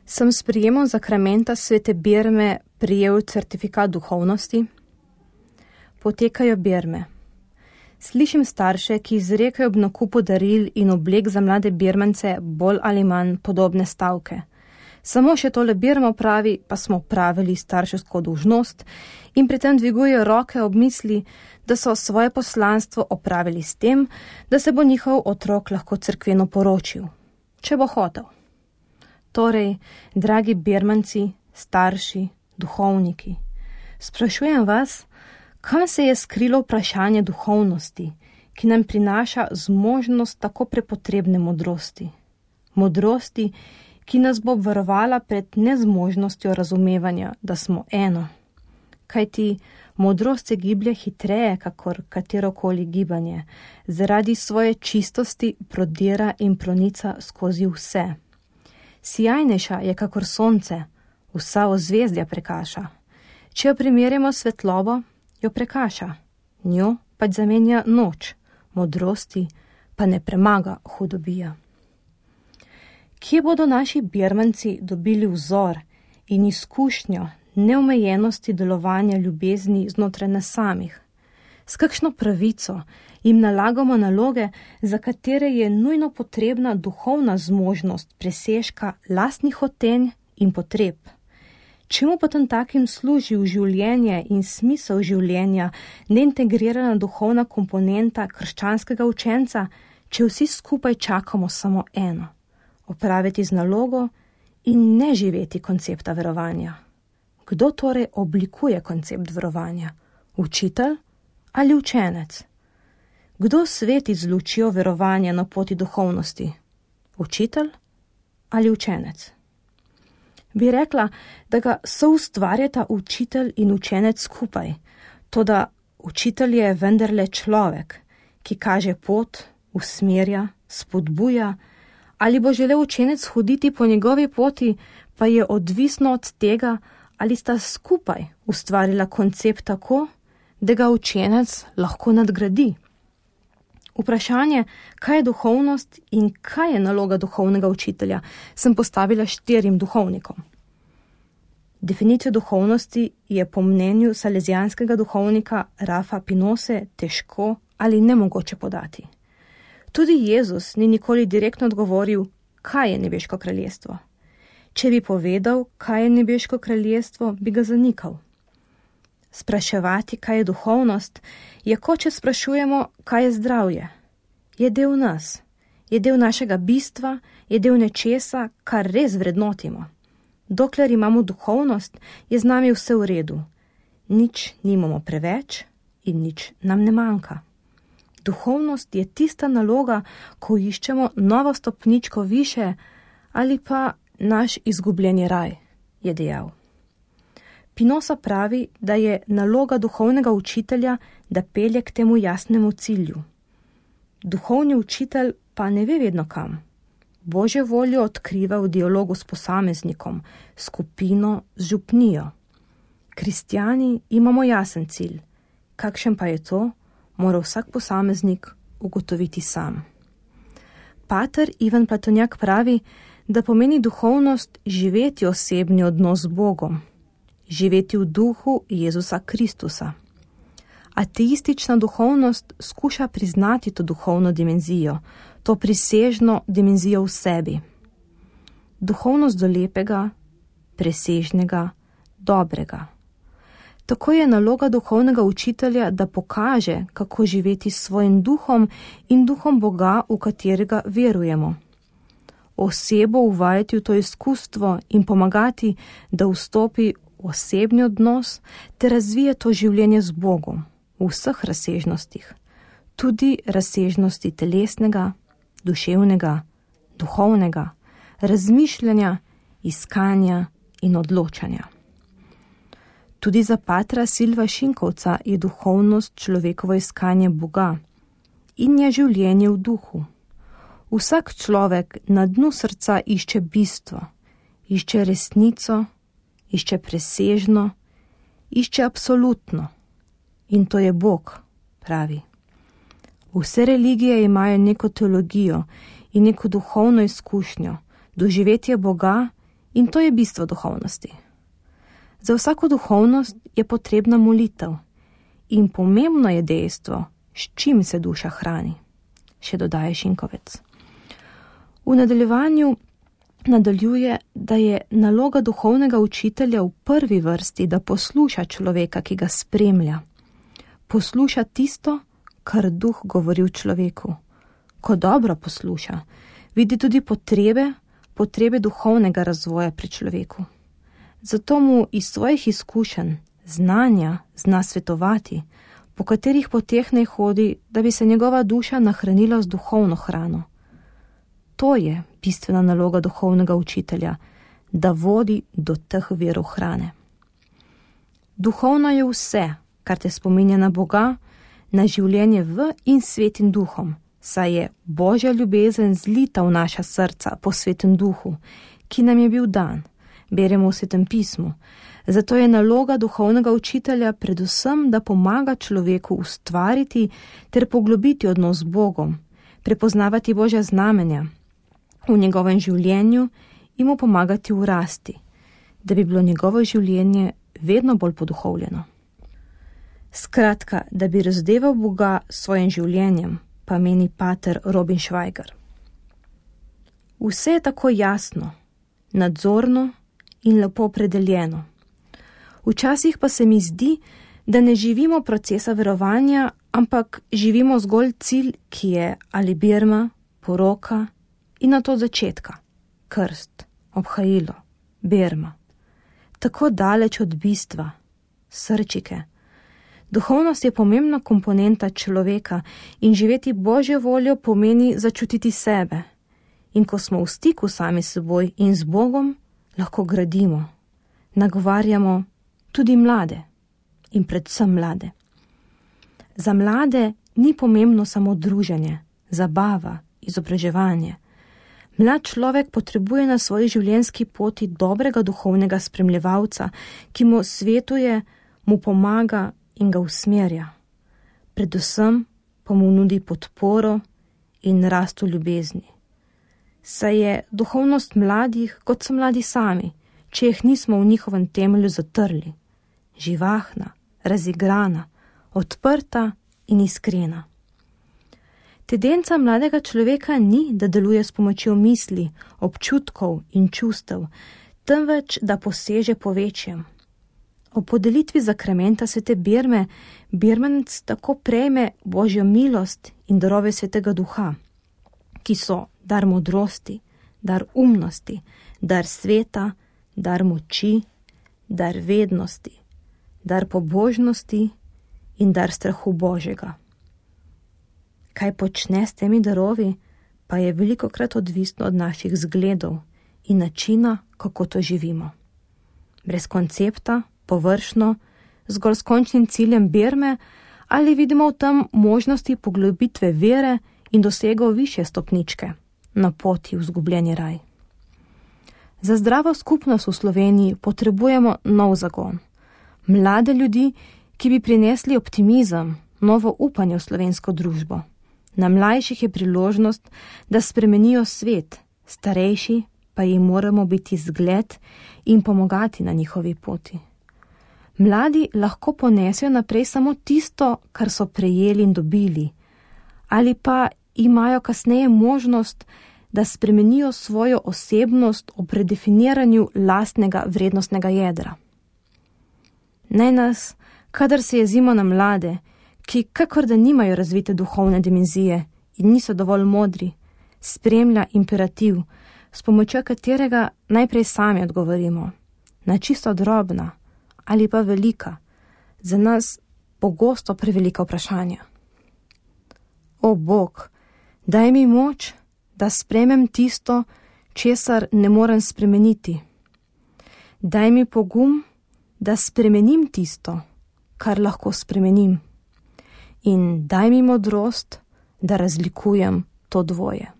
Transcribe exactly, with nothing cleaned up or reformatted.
Sem s prijemom zakramenta svete birme prijel certifikat duhovnosti. Potekajo birme. Slišim starše, ki izrekajo ob nakupu daril in oblek za mlade birmance bolj ali manj podobne stavke. Samo še tole birmo pravi, pa smo pravili starševsko dolžnost in pri tem dvigujejo roke ob misli, da so svoje poslanstvo opravili s tem, da se bo njihov otrok lahko cerkveno poročil, če bo hotel. Torej, dragi birmanci, starši, duhovniki, sprašujem vas, kam se je skrilo vprašanje duhovnosti, ki nam prinaša zmožnost tako prepotrebne modrosti. Modrosti, ki nas bo obvarovala pred nezmožnostjo razumevanja, da smo eno. Kajti modrost se giblje hitreje, kakor katerokoli gibanje, zaradi svoje čistosti prodira in pronica skozi vse. Sijajnejša je kakor sonce, vsa ozvezdja prekaša. Če jo primerjamo s svetlobo, jo prekaša, njo pač zamenja noč, modrosti pa ne premaga hudobija. Kje bodo naši birmanci dobili vzor in izkušnjo neomejenosti delovanja ljubezni znotraj nas samih? S kakšno pravico jim nalagamo naloge, za katere je nujno potrebna duhovna zmožnost presežka lastnih hotenj in potreb? Čemu potem takim služi v življenje in smisel življenja neintegrirana duhovna komponenta krščanskega učenca, če vsi skupaj čakamo samo eno? Opraviti z nalogo in ne živeti koncepta verovanja. Kdo torej oblikuje koncept verovanja? Učitelj ali učenec? Kdo sveti z lučjo verovanja na poti duhovnosti? Učitelj ali učenec? Bi rekla, da ga soustvarjata učitelj in učenec skupaj, toda učitelj je vendarle človek, ki kaže pot, usmerja, spodbuja, ali bo želel učenec hoditi po njegovi poti, pa je odvisno od tega, ali sta skupaj ustvarila koncept tako, da ga učenec lahko nadgradi. Vprašanje, kaj je duhovnost in kaj je naloga duhovnega učitelja, sem postavila štirim duhovnikom. Definicijo duhovnosti je po mnenju salezijanskega duhovnika Rafa Pinose težko ali nemogoče podati. Tudi Jezus ni nikoli direktno odgovoril, kaj je nebeško kraljestvo. Če bi povedal, kaj je nebeško kraljestvo, bi ga zanikal. Spraševati, kaj je duhovnost, je kot če sprašujemo, kaj je zdravje. Je del nas, je del našega bistva, je del nečesa, kar res vrednotimo. Dokler imamo duhovnost, je z nami vse v redu. Nič nimamo preveč in nič nam ne manjka. Duhovnost je tista naloga, ko iščemo novo stopničko više ali pa naš izgubljeni raj, je dejal. Pinosa pravi, da je naloga duhovnega učitelja, da pelje k temu jasnemu cilju. Duhovni učitelj pa ne ve vedno kam. Božjo voljo odkriva v dialogu s posameznikom, skupino, z župnijo. Kristjani imamo jasen cilj. Kakšen pa je to, mora vsak posameznik ugotoviti sam. Pater Ivan Platonjak pravi, da pomeni duhovnost živeti osebni odnos z Bogom, živeti v duhu Jezusa Kristusa. Ateistična duhovnost skuša priznati to duhovno dimenzijo, to prisežno dimenzijo v sebi. Duhovnost do lepega, presežnega, dobrega. Tako je naloga duhovnega učitelja, da pokaže, kako živeti s svojim duhom in duhom Boga, v katerega verujemo. Osebo uvajati v to izkustvo in pomagati, da vstopi v osebni odnos ter razvije to življenje z Bogom v vseh razsežnostih, tudi razsežnosti telesnega, duševnega, duhovnega, razmišljanja, iskanja in odločanja. Tudi za patra Silva Šinkovca je duhovnost človekovo iskanje Boga in je življenje v duhu. Vsak človek na dnu srca išče bistvo, išče resnico, išče presežno, išče absolutno. In to je Bog, pravi. Vse religije imajo neko teologijo in neko duhovno izkušnjo, doživetje Boga In to je bistvo duhovnosti. Za vsako duhovnost je potrebna molitev in pomembno je dejstvo, s čim se duša hrani, še dodaje Šinkovec. V nadaljevanju nadaljuje, da je naloga duhovnega učitelja v prvi vrsti, da posluša človeka, ki ga spremlja. Posluša tisto, kar duh govori v človeku. Ko dobro posluša, vidi tudi potrebe, potrebe duhovnega razvoja pri človeku. Zato mu iz svojih izkušenj, znanja zna svetovati, po katerih poteh naj hodi, da bi se njegova duša nahranila z duhovno hrano. To je bistvena naloga duhovnega učitelja, da vodi do teh virov hrane. Duhovno je vse, kar te spominja na Boga, na življenje v in svetim duhom, saj je Božja ljubezen zlita v naša srca po svetem duhu, ki nam je bil dan, beremo v Svetem pismu. Zato je naloga duhovnega učitelja predvsem, da pomaga človeku ustvariti ter poglobiti odnos z Bogom, prepoznavati Božja znamenja v njegovem življenju in mu pomagati v rasti, da bi bilo njegovo življenje vedno bolj poduhovljeno. Skratka, da bi razdeval Boga s svojim življenjem, pa meni pater Robin Schweiger. Vse je tako jasno, nadzorno in lepo opredeljeno. Včasih pa se mi zdi, da ne živimo procesa verovanja, ampak živimo zgolj cilj, ki je ali birma, poroka in na to začetka, krst, obhajilo, birma. Tako daleč od bistva, srčike. Duhovnost je pomembna komponenta človeka in živeti Božjo voljo pomeni začutiti sebe. In ko smo v stiku sami s seboj in z Bogom, lahko gradimo, nagovarjamo tudi mlade in predvsem mlade. Za mlade ni pomembno samo druženje, zabava, izobraževanje. Mlad človek potrebuje na svoji življenjski poti dobrega duhovnega spremljevalca, ki mu svetuje, mu pomaga in ga usmerja. Predvsem pa mu nudi podporo in rast v ljubezni. Saj je duhovnost mladih, kot so mladi sami, če jih nismo v njihovem temelju zatrli. Živahna, razigrana, odprta in iskrena. Tendenca mladega človeka ni, da deluje s pomočjo misli, občutkov in čustev, temveč da poseže po večjem. O podelitvi zakramenta svete birme, birmanec tako prejme Božjo milost in darove svetega duha, ki so dar modrosti, dar umnosti, dar sveta, dar moči, dar vednosti, dar pobožnosti in dar strahu Božjega. Kaj počne s temi darovi, pa je velikokrat odvisno od naših zgledov in načina, kako to živimo. Brez koncepta, površno, zgolj s končnim ciljem birme, ali vidimo v tem možnosti poglobitve vere in dosegov višje stopničke na poti v izgubljeni raj. Za zdravo skupnost v Sloveniji potrebujemo nov zagon. Mlade ljudi, ki bi prinesli optimizem, novo upanje v slovensko družbo. Na mlajših je priložnost, da spremenijo svet, starejši pa jim moramo biti zgled in pomagati na njihovi poti. Mladi lahko ponesejo naprej samo tisto, kar so prejeli in dobili, ali pa imajo kasneje možnost, da spremenijo svojo osebnost ob redefiniranju lastnega vrednostnega jedra. Naj nas, kadar se jezimo na mlade, ki kakor da nimajo razvite duhovne dimenzije in niso dovolj modri, spremlja imperativ, s pomočjo katerega najprej sami odgovorimo na čisto drobna ali pa velika, za nas pogosto prevelika vprašanja. O Bog, daj mi moč, da sprejmem tisto, česar ne morem spremeniti. Daj mi pogum, da spremenim tisto, kar lahko spremenim. In daj mi modrost, da razlikujem to dvoje.